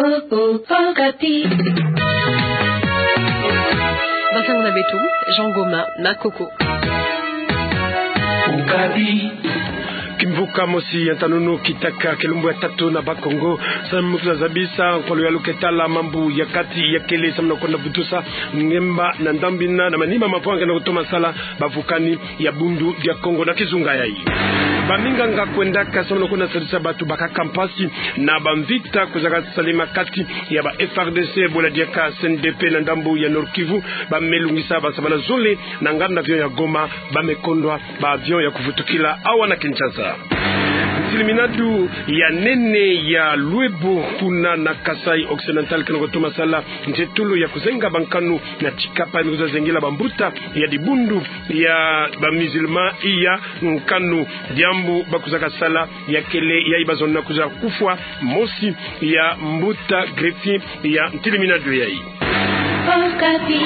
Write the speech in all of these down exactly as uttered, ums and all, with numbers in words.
Oh, oh, Okapi. Bansangu na beto, Jean Goma, na Koko. Okapi. Kimvuka mosi ya ntanunu kitaka kilumbu ya tatu na Bas-Congo, samu kwiza zabisa nkwa luyalu ke tala mambu ya kati ya kele samu na kwenda vutusa ngemba na ndambu ina na manima mavwanga na kutoma sala bavukani ya Bundu dia Kongo na kizunga yayi. Baminganga kwendaka samu na kwenda sadisa bantu bakaka mpasi na bamvita kuzaka salama kati ya ba F A R D C, bwela diaka C N D P na ndambu ya Nord-Kivu, bame lungisa bansabala zole na nganda avion ya Goma, bame kondwa ba avion ya kuvutukila awa na Kinshasa. Ntiliminadu ya nene ya Luebo kuna na Kasaï Occidental kena kutoma sala ntetolo ya kuzenga bankanu na Tshikapa, ina kwiza zengela bambuta ya dibundu ya ba musulmans iya nkanu. Diambu bakwizaka sala ya kele yayi, bazonza kwiza kufwa mosi ya mbuta Greti ya ntiliminadu yayi. Okapi.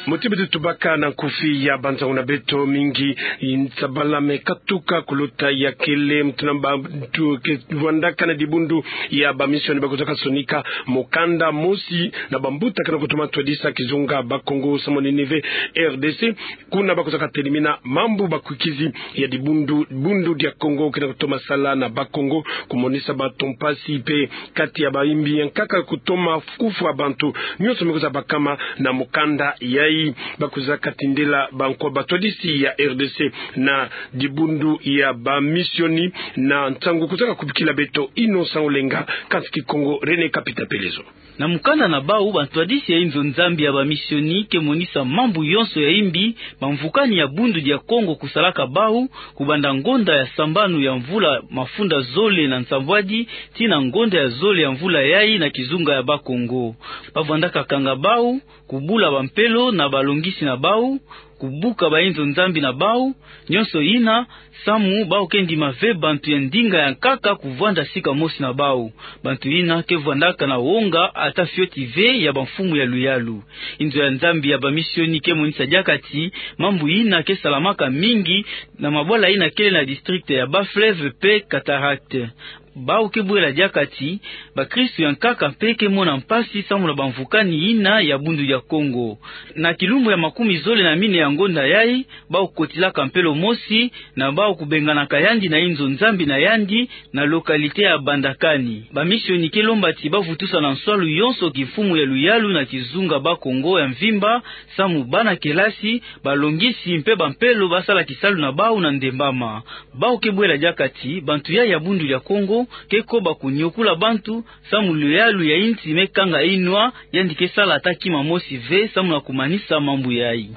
Muti beto tubaka na nkufi ya bansangu na beto, mingi nsabala me katuka kulota ya kele, muti na bantu ke vwandaka na dibundu ya ba missionnaires bakwizaka sonika mukanda mosi na bambuta kena kutoma twadisa kizunga Bas-Congo samu na Ninive, R D C, kuna bakwizaka telimina mambu bakwikizi ya dibundu, Bundu dia Kongo kena kutoma sala na Bas-Congo, kumonisa bantu mpasi mpe kati ya bayimbi ya nkaka kutoma kufwa bantu nyonso me kwiza bakama na mukanda yayi. Bakwizaka tindela bankwa batwadisi ya R D C na dibundu ya ba missionnaires, na nsangu kwizaka kubikila beto Innocent Olenga, kansi Kikongo René Kapita Pelezo. Na mukanda na bau, bantwadisi ya inzo Nzambi ya ba missionnaires ke monisa mambu yonso ya imbi bamvukani ya Bundu dia Kongo kusalaka bau, kubanda ngonda ya sambanu ya mvula mafunda zole na nsambwadi tii na ngonda ya zole ya mvula yayi na kizunga ya Bas-Congo. Bavwandaka kanga bau, kubula bampelo na balongisi na bau, kubuka bainzo Nzambi na bau, nyonso ina samu bau ke ndima ve bantu ya ndinga ya nkaka kuvwanda sika mosi na bau. Bantu ina ke vwandaka na wonga ata fioti ve ya bamfumu ya luyalu. Inzo ya Nzambi ya ba missionnaires ke monisa diaka ti mambu ina ke salamaka mingi na mabwala ina kele na district ya Bas-Fleuve mpe Cataractes. Bau ke bwela diaka ti bakristu ya nkaka mpe ke mona mpasi samu na bamvukani ina ya Bundu dia Kongo. Na kilumbu ya makumi zole na mine ya ngonda yayi, bau kotilaka mpelo mosi, na bau kubenganaka yandi na inzo Nzambi na yandi na localité ya Bandakani. Ba missionnaires ke lomba ti bavutusa na nswalu yonso kimfumu ya luyalu na kizunga Bas-Congo ya mvimba, samu bana kelasi, balongisi mpe bampelo basala kisalu na bau na ndembama. Bau ke bwela diaka ti bantu ya ya Bundu dia Kongo ke koba kunyokula bantu, samu luyalu ya insi me kanga inwa, yandi ke sala ata kima mosi ve samu na kumanisa mambu yayi.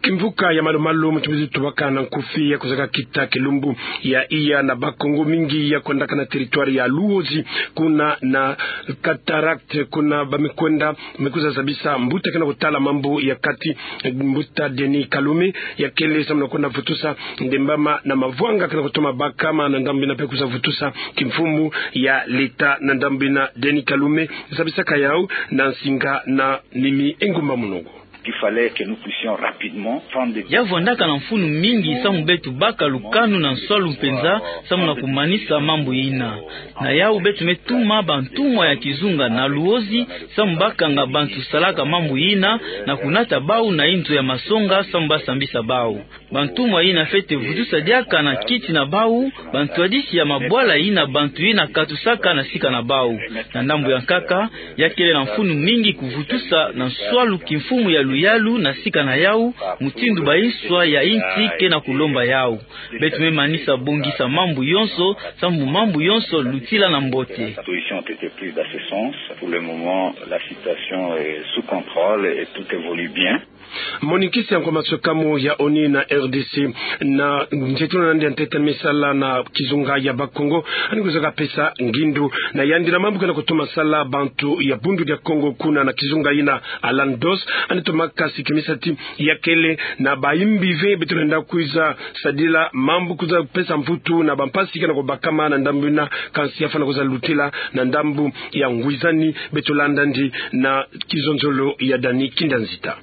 Kimvuka ya malu-malu, muti beto tubaka na nkufi ya kwizaka kita kilumbu ya iya na Bas-Congo, mingi ya kwendaka na territoire ya Luozi, kuna na Cataractes, kuna bame kwenda me kwiza zabisa mbuta kena kutala mambu ya kati, mbuta Denis Kalume, ya kele samu na kwenda vutusa ndembama na mavwanga kena kutoma bakama na ndambu ina mpe kwiza vutusa kimfumu ya leta na ndambu ina. Denis Kalume zabisaka yau na nsinga na Nimi Engumba Munugu. Qu'il fallait que nous puissions rapidement prendre des... Ya vwandaka na mfunu mingi samu beto baka lukanu na nswalu mpenza samu na kumanisa mambu ina. Na yau beto me tuma bantumwa ya kizunga na Luozi samu bakanga bantu salaka mambu ina, na kunata bau na inzo ya masonga samu basambisa bau. Bantumwa ina fwete vutusa diaka na kiti na bau bantwadisi ya mabwala ina bantu ina katusaka na sika na bau. Na ndambu ya nkaka, ya kele na mfunu mingi kuvutusa na nswalu kimfumu ya luyalu na sika na yau, mutindu bainswa ya insi kena kulomba yau. Beto me manisa bongisa mambu yonso, samu mambu yonso lutila na mbote. Les dispositions ont été prises dans ce sens. Pour le moment, la situation est sous contrôle et tout évolue bien. Monikisi ya nkwa maswekamu ya ONU na RDC, na ntetolo na yandi ya ntete me sala na kizunga ya Bakongo, yandi kwizaka pesa ngindu na yandi na mambu kena kutoma sala bantu ya Bundu dia Kongo kuna na kizunga yina, Alan Doss, yandi tomaka sikimisa ti ya kele na bayimbi ve beto lenda kwiza sadila mambu kwiza pesa mvutu na bampasi kena kubakama na ndambu yina, kansi yafwana kwiza lutila na ndambu ya ngwizani. Beto landa yandi na kizonzolo ya Dani Kinda Nzita.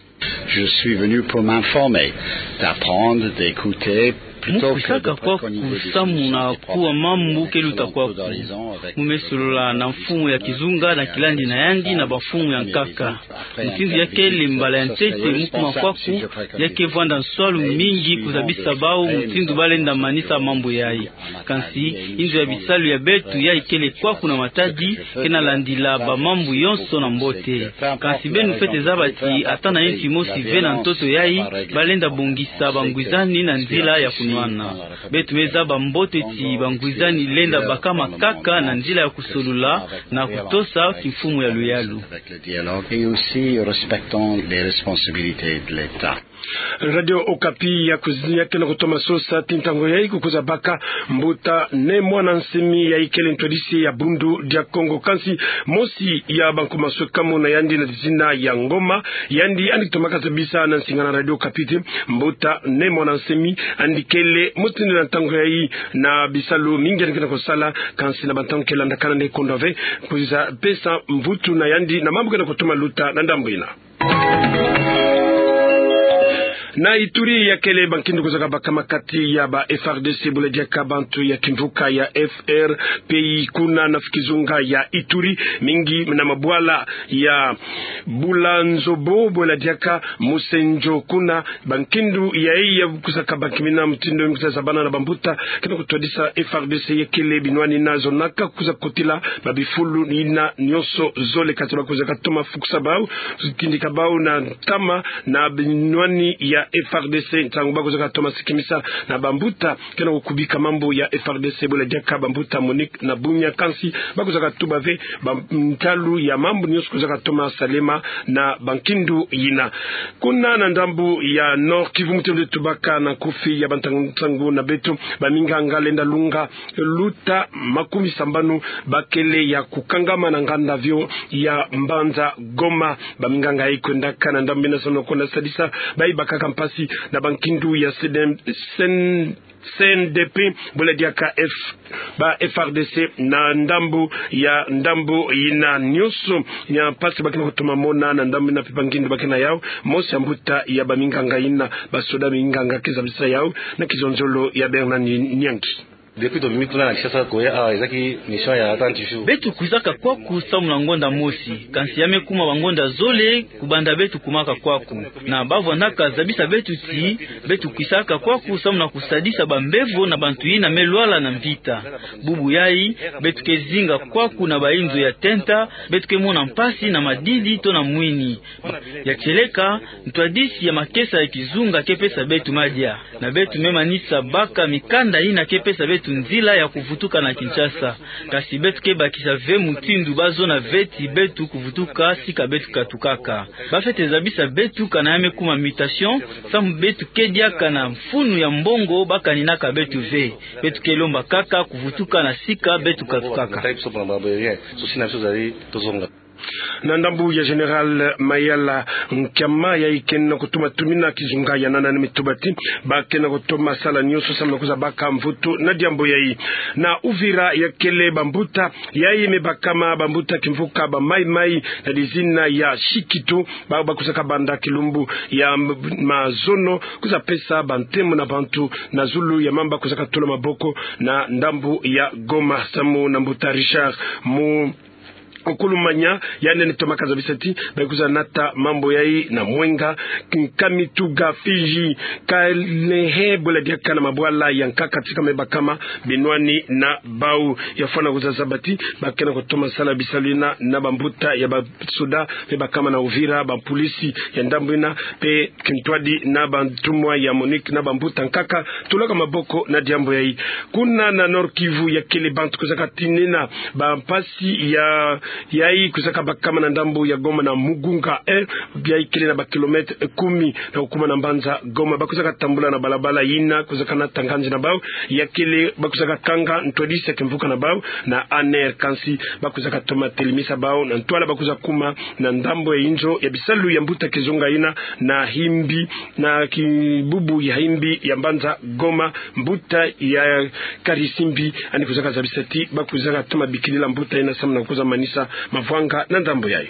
Je suis venu pour m'informer, d'apprendre, d'écouter. Mu kwisaka kwaku samu na kuwa mambu ke luta kwaku. Mu me solola na mfumu ya kizunga na kilandi na yandi na bamfumu ya nkaka. Mutindu ya kele mbala ya ntete mu kuma kwaku, ya ke vwanda nswalu mingi kuzabisa bawu mutindu ba lenda manisa mambu yayi. Kansi, inzo ya bisalu ya beto yayi kele kwaku na Matadi, ke na landila bamambu yonso na mbote. Kansi beno fwete zaba ti ata na insi mosi ve na ntoto yayi, ba lenda bongisa bangwizani na nzila ya kunwana. Beto me zaba mbote ti bangwizani lenda bakama kaka na nzila ya kusolola na kutosa kimfumu ya luyalu. Avec le dialogue et aussi respectant les responsabilités de l'État. Radio Okapi ya kuzi-, ya ke na kutoma sosa ti ntangu yayi ku kwiza baka mbuta Ne Muanda Nsemi yayi kele ntwadisi ya Bundu dia Kongo, kansi mosi ya bankumaswekamu na yandi na dizina ya Ngoma, yandi andi kitomaka zabisa na nsinga na Radio Okapi ti mbuta Ne Muanda Nsemi andi kele mutindu na ntangu yayi na bisalu mingi andi ke na kusala, kansi na bantangu ke landakana nde kondwa ve kwiza pesa mvutu na yandi na mambu ke na kutoma luta na ndambu yina. Na Ituri ya kele bankindu kuzaka bakama kati ya ba F A R D C, bula diaka bantu ya kimvuka ya F R P I kuna na kizunga ya Ituri, mingi na mabwala ya Bula Nzobo, bula diaka Musenjo kuna, bankindu yayi ya kuzaka bakimina mutindu ya kwiza zabana na bambuta ke na kutwadisa F A R D C ya kele binwani na zonaka kwiza kotila ba bifulu yina nyonso zole, kati ba kwiza katoma fukusa bawu, tindika bawu na ntama na binwani ya F A R D C, ntangu ba kwiza katoma sikimisa na bambuta ke na kukubika mambu ya F A R D C, bula diaka bambuta MONUC na Bunia, kansi ba kwiza katuba ve ba ntalu ya mambu nyonso kwiza katoma salema na bankindu yina. Kuna na ndambu ya Nord-Kivu, mutindu tubaka na nkufi ya bantangu-ntangu na beto, baminganga lenda lunga luta makumi sambanu ba kele ya kukangama na nganda-avio ya mbanza Goma. Baminganga yayi kwendaka na ndambu yina samu na kwenda sadisa bayi bakaka mpasi na bankindu ya C D M, C N, C N D P, bula diaka F, ba F A R D C na ndambu ya, ndambu yina nyonso ya mpasi ba ke na kutoma mona na ndambu yina mpe bankindu ba ke na yawu, mosi ya mbuta ya baminganga yina, basoda minganga ke zabisa yawu na kizonzolo ya Bernard Nyangi. Depuis tomimi kuna na Kinshasa koya awa, ezalaki mission ya trente jours. Beto kwizaka kwaku samu na ngonda mosi, kansi ya me kuma bangonda zole kubanda beto kumaka kwaku. Na ba vwandaka zabisa beto ti beto kwisaka kwaku samu na kusadisa bambevo na bantu yina me lwala na mvita. Bubu yayi, beto ke zinga kwaku na bainzo ya tenta, beto ke mona mpasi na madidi to na mwini. Ya tieleka, ntwadisi ya makesa ya kizunga ke pesa beto madia. Na beto me manisa baka mikanda yina ke pesa beto nzila ya kuvutuka na Kinshasa. Kansi beto ke bakisa ve mutindu ba zona ve ti beto kuvutuka sika beto katukaka. Ba fwete zabisa beto kana ya me kuma mutation, samu beto ke diaka na mfunu ya mbongo ba kaninaka beto ve. Beto ke lomba kaka kuvutuka na sika beto katukaka. Na ndambu ya Général Mayala, nkiama yayi ke na kutoma tumina kizunga ya nana, ni me tuba ti ba ke na kutoma sala nyonso samu na kwiza baka mvutu na diambu yayi. Na Uvira ya kele bambuta yayi me bakama, bambuta kimvuka ba Mai-Mai na dizina ya Shikito, ba, ba kwizaka banda kilumbu ya m-, mazono kwiza pesa bantemo na bantu na zulu ya mambu ba kwizaka tula maboko na ndambu ya Goma, samu na mbuta Richard Mu Okulumanya, yandi ni tomaka zabisa ti ba kwiza nata mambu yayi na Mwenga, Kamituga, Fizi, Kalehe, bula diaka na mabwala ya nkaka tika me bakama binwani na bawu. Ya fwana kwiza zaba ti ba ke na kutoma sala bisalu yina na bambuta ya basoda me bakama na Uvira, bampolisi ya ndambu yina, mpe kintwadi na bantumwa ya MONUC na bambuta nkaka tulaka maboko na diambu yayi. Kuna na Nord-Kivu ya kele bantu kwizaka tinina bampasi ya, yayi kwizaka bakama na ndambu ya Goma na Mugunga un, yayi kele na ba kilomètre kumi na kukuma na mbanza Goma. Ba kwizaka tambula na balabala yina kwizaka nata nganzi na bawu, ya kele ba kwizaka kanga ntwadisi ya kimvuka na bawu na A N R, kansi ba kwizaka toma telemisa bawu na ntwala ba kwiza kuma na ndambu ya inzo ya bisalu ya mbuta kizunga yina na Himbi, na kibubu ya Himbi ya mbanza Goma, mbuta ya Karisimbi, yandi kwizaka zabisa ti ba kwizaka toma bikilila mbuta yina samu na kwiza manisa mavwanga na ndambu yayi.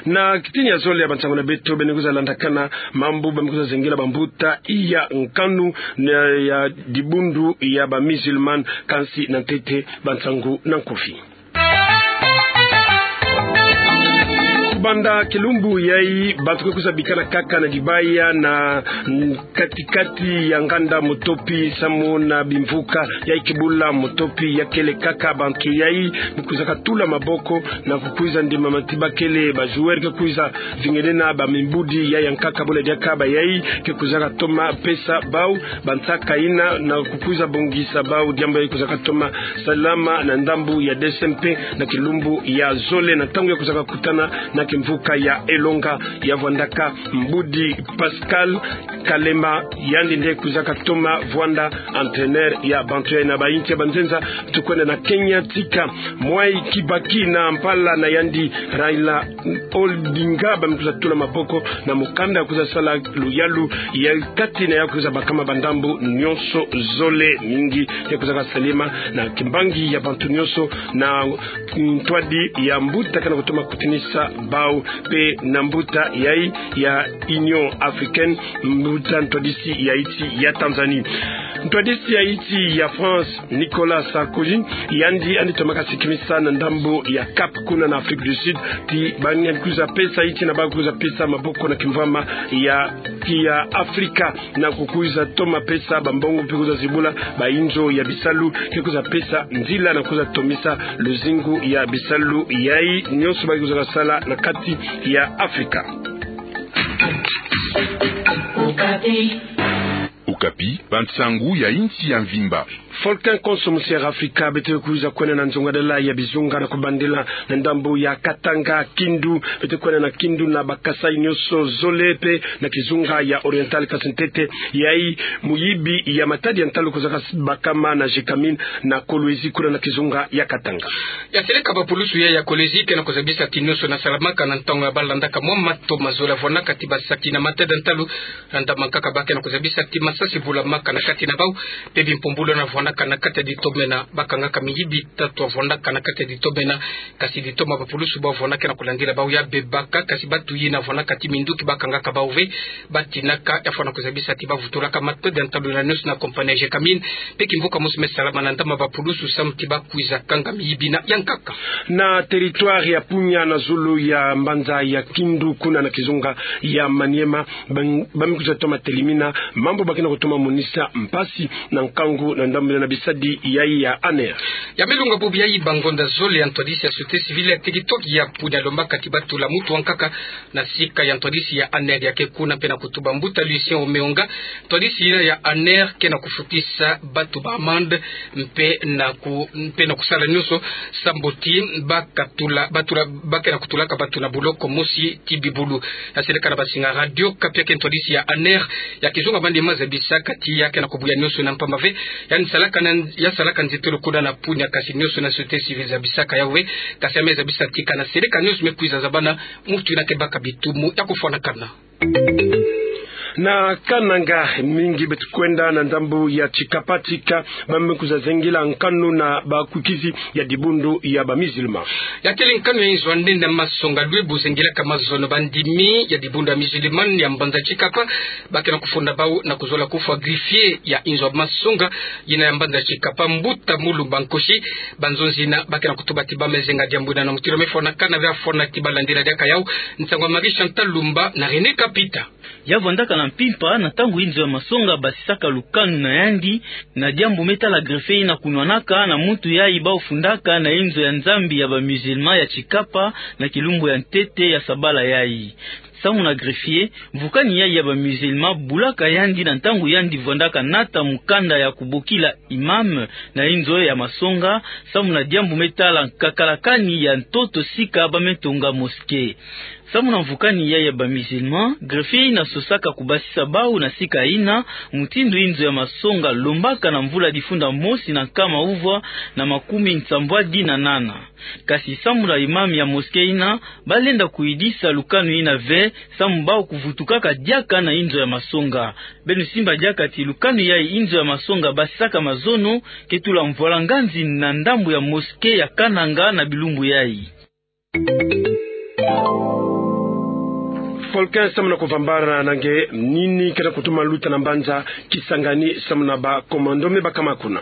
Na kitini ya zole ya bansangu na beto, beno kwiza landakana mambu ba me kwiza zengela bambuta ya nkanu na ya dibundu ya ba musulman, kansi na ntete bansangu na nkufi. Kubanda kilumbu yayi, bantu ke kwiza bikana kaka na dibaya na kati-kati ya nganda Motopi, samu na bimvuka yayi kibula Motopi ya kele kaka, bantu yayi me kwizaka tula maboko na kukwiza ndimama ti ba kele ba joueur ke kwiza zingenena ba mimbudi yayi ya nkaka. Bole diaka bayayi ke kwizaka toma pesa bau bansaka yina na kukwiza bongisa bau, diambu yayi kwizaka toma salama na ndambu ya D C M P na kilumbu ya zole, na ntangu ya kwizaka kutana na kimvuka ya Elonga, ya vwandaka mbudi Pascal Kalema, yandi nde kwizaka toma vwanda entraîneur ya bantu yayi. Na bayinti ya banzenza, tukwenda na Kenya tika Mwai Kibaki na mpala na yandi Raila Odinga ba me kwiza tula maboko na mukanda ya kwiza sala luyalu ya kati na ya kwiza bakama bandambu nyonso zole. Mingi ya kwizaka salema na kimbangi ya bantu nyonso na ntwadi ya mbuta ke na kutoma kutinisa bau, mpe na mbuta yayi ya Union Africaine, mbuta ntwadisi ya insi ya Tanzanie. Ntwadisi ya insi ya France, Nicolas Sarkozy, yandi yandi tomaka sikimisa na ndambu ya Cap kuna na Afrique du Sud, ti ba nge kwiza pesa insi na ba kwiza pesa maboko na kimvwama ya, ya Afrika, na kukwiza toma pesa bambongo mpe kwiza zibula bainzo ya bisalu, ke kwiza pesa nzila na kwiza tomisa luzingu ya bisalu yayi nyonso ba kwizaka sala na kati ya Afrika. Okapi, bansangu ya insi ya mvimba. Volcan konso musi ya Afrika, beto kwiza kwenda na nzongadala ya bizunga na kubandela na ndambu ya Katanga, Kindu, beto kwenda na Kindu na ba Kasaï nyonso zole mpe na kizunga ya Oriental, kansi ntete yayi muyibi ya matadi ya ntalu kwizaka s-, bakama na Gécamines na Kolwezi kuna na kizunga ya Katanga. Ya seleka bapulusu ya, ya Kolwezi ke na kuzabisa ti nyonso na salamaka na ntangu ya ba landaka mwa mato ma zole ya vwandaka ti basaki na matadi ya ntalu, na ndambu ya nkaka ba ke na kuzabisa ti masasi bulamaka na kati na bau, mpe bimpumbulu na vwandaka na kati ya ditoma ena, bakangaka miyibi tatu ya vwandaka na kati ya ditoma ena, kansi ditoma bapulusu bau vwandaka na kulandila bau ya bebaka, kansi batu yina vwandaka ti minduki bakangaka bau ve, batinaka, ya fwana kuzabisa ti bavutulaka matadi ya ntalu na nyonso na compagnie ya Gécamines, mpe kimvuka mosi me salama na ndambu ya bapulusu samu ti bakwiza kanga miyibi yina ya nkaka. Na territoire ya Punya na zulu ya mbanza ya Kindu kuna na kizunga ya Maniema, ba me kwiza toma telimina mambu ba ke na kutoma monisa mpasi na nkangu na ndambu na bisadi yayi ya ANR. Ya me lunga bubu yayi, ba ngonda zole, ya ntwadisi ya société civile ya territoire ya Punya alombaka ti batula mutu ya nkaka na sika ya ntwadisi ya ANR ya ke kuna mpe na kutuba. Mbuta Lucien Omeonga, ntwadisi yina ya ANR ke na kufutisa batu ba amende mpe na ku-, mpe na kusala nyonso sambu ti bakatula, batula, ba ke na kutulaka batu na buloko mosi ti bibulu. Ya seleka na bansinga Radio Okapi, ya ke ntwadisi ya ANR ya kizunga Maniema, zabisaka ti ya ke na kubuya nyonso na mpamba ve, yandi salaka na, ya salaka nzietolo kuna na Punya, kansi nyonso na société civile zabisaka yawu ve, kansi ya me zabisa ti kana seleka nyonso me kwiza zabana mutu yina ke baka bitumu ya kufwanakana. Na Kananga, mingi beto kwenda na ndambu ya Tshikapa tika ba me kwiza zengela nkanu na bakwikizi ya dibundu ya ba musulman. Ya kele nkanu ya inzo ya nene ya masonga lwe bu zengelaka mazono bandimi ya dibundu ya musulman ya mbanza Tshikapa, ba ke na kufunda bau na kuzola kufwa greffier ya inzo ya masonga yina ya mbanza Tshikapa, mbuta Mulumba Nkoshi. Banzonzi yina ba ke na kutuba ti ba me zenga diambu yina na mutindu me fwanakana ve, ya fwana ti ba landila diaka yawu. Nsangu ya Marie Chantal Lumba na René Kapita. Ya vwandaka na mpimpa na ntangu inzo ya masonga basisaka lukanu na yandi, na diambu me tala greffier yina kunwanaka na muntu yayi bau fundaka na inzo ya Nzambi ya ba musulman ya Tshikapa na kilumbu ya ntete ya sabala yayi. Samu na greffier, mvukani yayi ya ba musulman bulaka yandi na ntangu yandi vwandaka nata mukanda ya kubokila imam na inzo ya masonga, samu na diambu me tala nkakalakani ya ntoto sika ba me tonga mosquée. Samu na mvukani yayi ya ba musulman, greffier yina sosaka kubasisa bau na sika yina, mutindu inzo ya masonga lombaka na mvula difunda mosi na nkama uvwa na makumi nsambwadi na nana. Kasi samu na imam ya mosquée yina, ba lenda kuyidisa lukanu yina ve, samu bau kuvutukaka diaka na inzo ya masonga. Beno simba diaka ti lukanu yayi inzo ya masonga basisaka mazono ke tula mvwalanganzi na ndambu ya mosquée ya Kananga na bilumbu yayi. Polkin, samu na kuvambana na nge nini kena kutuma luta na mbanza Kisangani samu na ba commando me bakama kuna.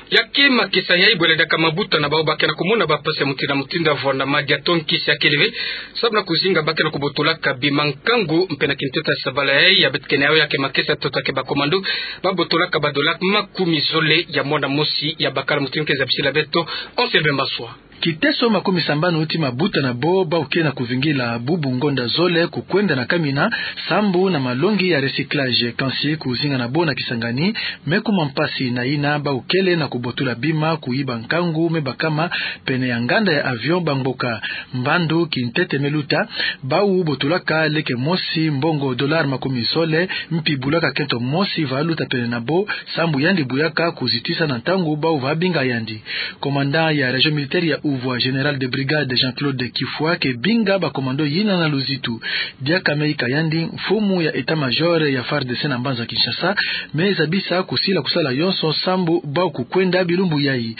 Ya ke makesa yayi bwela diaka mabuta na bawu ba kena kumona ba mpasi ya mutindu na mutindu ya vwanda madia to nkisi ya kele ve, samu na kuzinga ba kena kubotolaka bima nkangu, mpe na kintete ya sabala yayi ya beto kena yawu ya ke makesa, toto ya ke ba commando ba botolaka ba dola makumi zole ya mwana mosi ya bakala. Mutindu ke zabisila beto Anselme Maswa. Kiteso makumi sambanu ti mabuta na bo bawu ke na kuvingila bubu ngonda zole kukwenda na kamina, sambu na malongi ya recyclage. Kansi kuzinga na bo na Kisangani me kuma mpasi na yina bawu kele na kubotola bima kuyiba nkangu me bakama pene ya nganda ya avion Bangboka. Mbandu kintete me luta, bawu botolaka leke mosi mbongo dollar makumi zole, mpi bulaka kento mosi va luta pene na bo, sambu yandi buyaka kuzitisa na ntangu bawu va binga yandi. Commandant ya région militaire ya Uvwa, général de brigade Jean-Claude Kifwa, ke binga ba commando yina na luzitu. Diaka me ika yandi, mfumu ya état-major ya FARDC na mbanza Kinshasa me zabisa kusila kusala yonso sambu bawu kukwenda bilumbu yayi.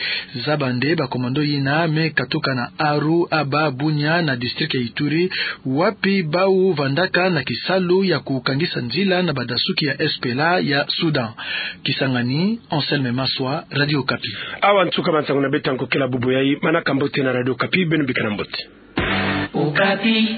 Zaba nde ba commando yina me katuka na Aru, Aba, Bunia na district ya Ituri, wapi bawu vandaka na kisalu ya kukangisa nzila na badasuki ya SPLA ya Soudan. Kisangani, Anselme Maswa, Radio Okapi. Awa nsuka ba nsangu na beto ya nkokela bubu yayi. Manaka mbote na Radio Okapi, beno bikana mbote. Okapi.